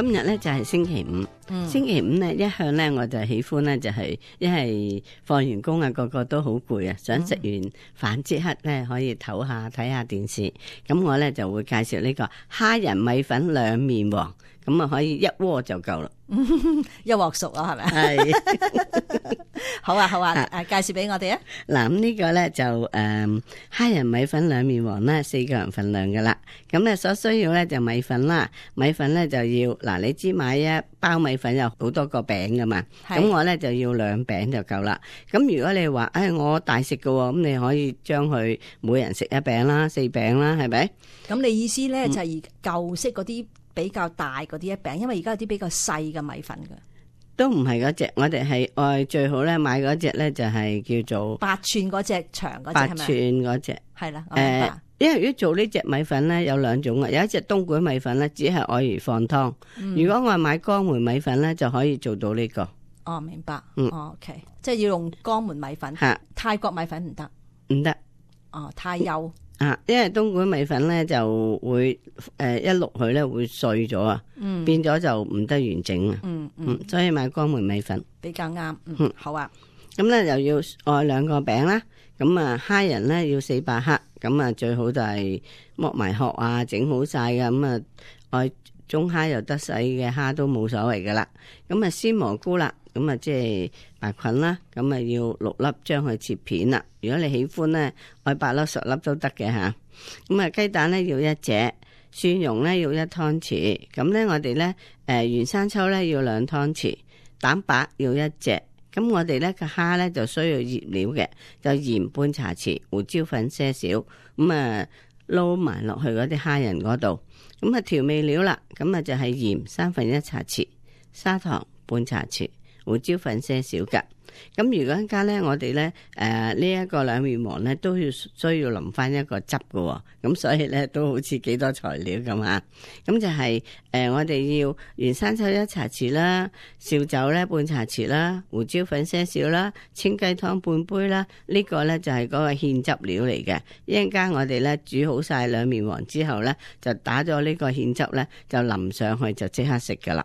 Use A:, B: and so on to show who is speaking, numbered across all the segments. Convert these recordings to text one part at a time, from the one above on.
A: 今日咧就係星期五，星期五咧一向咧我就喜歡咧就係一係放完工啊，個個都好攰啊，想食完飯即刻咧可以唞下睇下電視，咁我咧就會介紹呢個蝦仁米粉兩面黃，咁啊可以一鍋就夠啦。
B: 一鑊熟啊，係咪？
A: 係
B: 好啊，好啊，介紹俾我哋啊。
A: 嗱，咁呢個咧就蝦仁米粉兩面黃啦，4個人份量噶啦。咁咧所需要咧就米粉啦，米粉咧就要嗱，你知買一包米粉有好多個餅噶嘛，咁我咧就要2餅就夠啦。咁如果你話我大食噶，咁你可以將佢每人食1餅啦，4餅啦，係咪？
B: 咁你意思咧就係舊式嗰啲比較大嗰啲一餅，因為而家有啲比較細嘅米粉噶。
A: 都唔係嗰隻，我哋係愛最好咧買嗰隻咧就係叫做
B: 8寸嗰隻長嗰隻，
A: 8寸嗰隻
B: 係啦。
A: 因為如果做呢隻米粉咧有2種啊，有一隻東莞米粉咧只係愛嚟放湯，如果我買江門米粉咧就可以做到呢個。
B: 哦，明白。OK， 即係要用江門米粉，泰國米粉唔得，
A: 唔得。
B: 哦，太幼。
A: 因為東莞米粉咧就會一淥佢咧會碎咗啊，變咗就唔得完整啊。所以買江門米粉
B: 比較啱。好啊。
A: 咁咧又要愛2個餅啦，咁啊蝦仁咧要400克，咁啊最好就係剝埋殼啊，整好晒嘅，咁啊愛中蝦又得，細嘅蝦都冇所謂噶啦。咁啊鮮蘑菇啦，咁啊即係白菌啦，咁啊要6粒，將佢切片啦。如果你喜歡咧，愛8粒10粒都得嘅吓。咁啊雞蛋咧要1隻，蒜蓉咧要1湯匙。咁咧我哋咧原生抽咧要2湯匙，蛋白要1隻。咁我哋咧個蝦咧就需要醃料嘅，就鹽半茶匙，胡椒粉些少，咁啊撈埋落去嗰啲蝦仁嗰度。咁啊調味料啦，咁啊就係鹽1/3茶匙，砂糖半茶匙，胡椒粉些少噶。咁如果家咧我哋咧呢一個兩面黃咧都要需要淋翻一個汁嘅，咁所以咧都好似幾多材料咁啊。咁就係我哋要原生抽1茶匙啦，紹酒咧半茶匙啦，胡椒粉些少啦，清雞湯半杯啦。呢個咧就係嗰個芡汁料嚟嘅。一陣間我哋咧煮好晒兩面黃之後咧，就打咗呢個芡汁咧就淋上去就即刻食噶啦。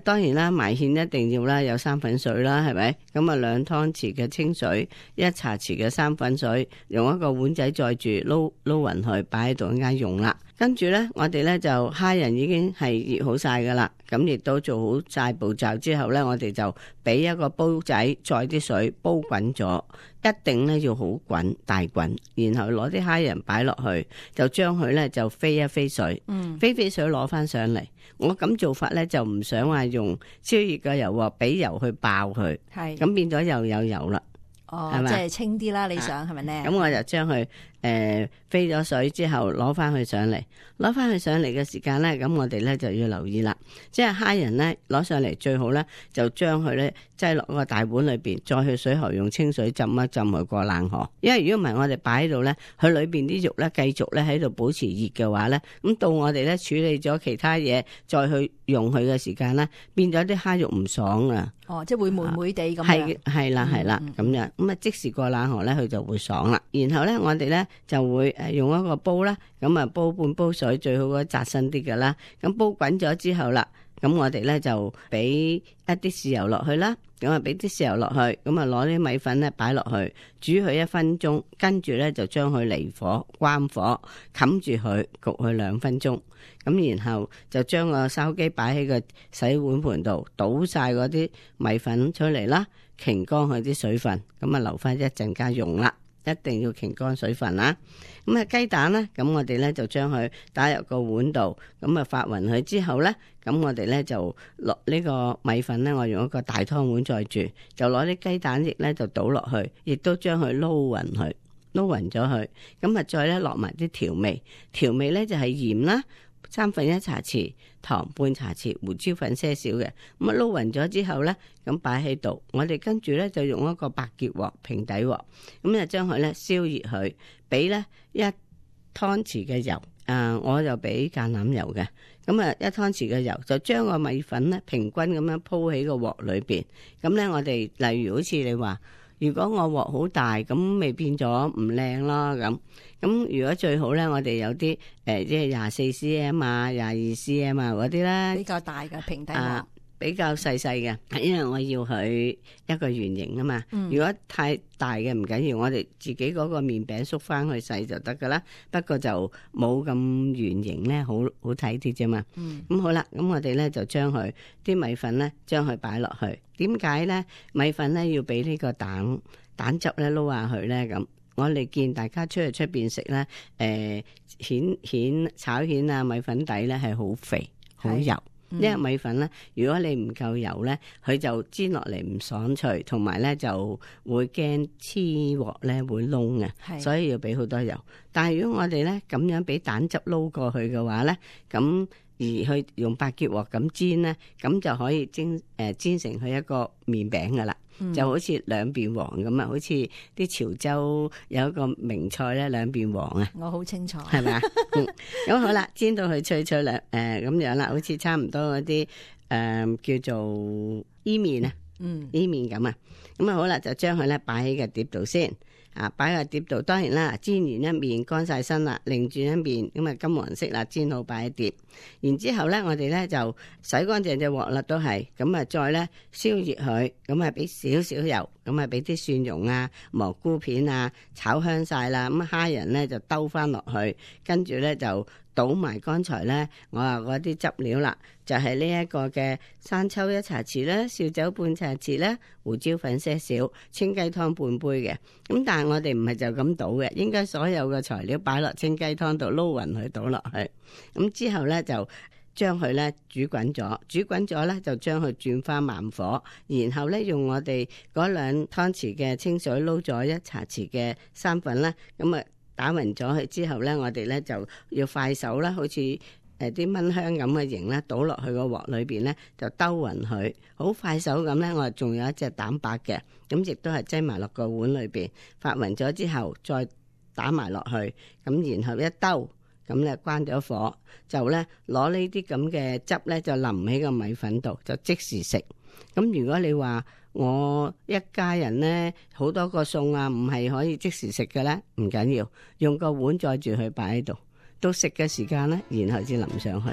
A: 當然啦，埋芡一定要啦，有生粉水啦，係咪？咁啊2湯匙嘅清水，1茶匙嘅生粉水，用一個碗仔載住撈勻佢，擺喺度一陣間用啦。跟住咧，我哋咧就蝦仁已經係醃好晒噶啦，咁亦都做好晒步驟之後咧，我哋就俾一個煲仔載啲水煲滾咗，一定咧要好滾大滾，然後攞啲蝦仁擺落去，就將佢咧就飛一飛水，飛水攞翻上嚟。我咁做法咧就唔想話用超熱嘅油鑊俾油去爆佢，係咁變咗又有油啦。
B: 係嘛？即係清啲啦，你想係咪咧？
A: 咁我就將佢飛咗水之後攞翻去上嚟，攞翻去上嚟嘅時間咧，咁我哋咧就要留意啦。即係蝦仁咧攞上嚟最好咧，就將佢咧擠落個大碗裏邊，再去水喉用清水浸一浸佢過冷河。因為如果唔係我哋擺喺度咧，佢裏邊啲肉咧繼續咧喺度保持熱嘅話咧，咁到我哋咧處理咗其他嘢再去用佢嘅時間咧，變咗啲蝦肉唔爽啊！
B: 即係會霉霉地咁樣。
A: 係啦，咁樣咁啊，即時過冷河咧，佢就會爽啦。然後咧，我哋咧就會用一個煲啦，咁啊煲半煲水，最好嗰扎身啲㗎啦。咁煲滾咗之後啦，咁我哋咧就俾一啲豉油落去啦，咁啊俾啲豉油落去，咁啊攞啲米粉咧擺落去，煮佢1分鐘，跟住咧就將佢離火關火，冚住佢焗佢2分鐘。咁然後就將個筲箕擺喺個洗碗盤度，倒晒嗰啲米粉出嚟啦，擎乾佢啲水分，咁啊留翻一陣間用啦，一定要擎乾水分啦。咁啊雞蛋咧，咁我哋咧就將佢打入個碗度，咁啊發勻佢之後咧，咁我哋咧就落呢個米粉咧，我用一個大湯碗載住，就攞啲雞蛋液咧就倒落去，亦都將佢撈勻佢，撈勻咗佢，咁啊再咧落埋啲調味咧就係鹽啦。1/3茶匙，糖半茶匙，胡椒粉些少嘅，咁啊撈勻咗之後咧，咁擺喺度，我哋跟住咧就用一個白潔鑊平底鑊，咁就將佢咧燒熱佢，俾咧1湯匙嘅油，我就俾橄欖油嘅，咁啊1湯匙嘅油就將個米粉咧平均咁樣鋪喺個鑊裏邊，咁咧我哋例如好似你話如果我鑊好大，咁咪變咗唔靚咯。咁如果最好咧，我哋有啲即係24cm 啊、22cm 啊嗰啲咧，
B: 比較大嘅平底鑊。
A: 比較細細嘅，因為我要佢一個圓形啊嘛。如果太大嘅唔緊要，我哋自己嗰個麵餅縮翻去細就得噶啦。不過就冇咁圓形咧，好睇啲啫嘛。咁好啦，咁我哋咧就將佢啲米粉咧，將佢擺落去。點解咧？米粉咧要俾呢個蛋汁咧撈下佢咧咁。我哋見大家出邊食咧，炒蜆啊米粉底咧係好肥好油。因為米粉咧，如果你唔夠油咧，佢就煎落嚟唔爽脆，同埋咧就會驚黐鑊咧會燶嘅，所以要俾好多油。但係如果我哋咧咁樣俾蛋汁撈過去嘅話咧，咁而去用百潔鑊咁煎咧，咁就可以煎成佢一個麵餅噶啦。就好似兩邊黃咁啊，好似啲潮州有一個名菜咧，兩邊黃啊，
B: 我好清楚，
A: 係咪啊？咁好啦，煎到佢脆脆咁樣啦，好似差唔多嗰啲叫做伊麵啊，伊麵咁啊，咁啊好啦，就將佢咧擺喺個碟度先。擺喺碟度，當然啦，煎完一面乾晒身啦，另轉一面咁啊金黃色啦，煎好擺喺碟。然之後咧，我哋咧就洗乾淨隻鑊啦，都係咁啊，再咧燒熱佢，咁啊俾少少油，咁啊俾啲蒜蓉啊、蘑菇片啊炒香晒啦，咁蝦仁咧就兜翻落去，跟住咧就倒埋剛才咧我話嗰啲汁料啦，就係呢一個嘅生抽1茶匙啦，紹酒半茶匙啦，胡椒粉些少，清雞湯半杯嘅。咁但係我哋唔係就咁倒嘅，應該所有嘅材料擺落清雞湯度撈匀佢倒落去。咁之後咧就將佢咧煮滾咗咧就將佢轉翻慢火，然後咧用我哋嗰2湯匙嘅清水撈咗1茶匙嘅生粉啦，咁啊打匀咗佢之後咧，我哋咧就要快手啦，好似啲燜香咁嘅形啦，倒落去個鑊裏邊咧就兜匀佢，好快手咁咧。我仲有一隻蛋白嘅，咁亦都係擠埋落個碗裏邊，發匀咗之後再打埋落去，咁然後一兜，咁咧關咗火，就咧攞呢啲咁嘅汁咧就淋喺個米粉度，就即時食。咁如果你話我一家人咧好多個餸啊，唔係可以即時食嘅咧，唔緊要，用個碗載住佢擺喺度，到食嘅時間咧，然後先淋上去。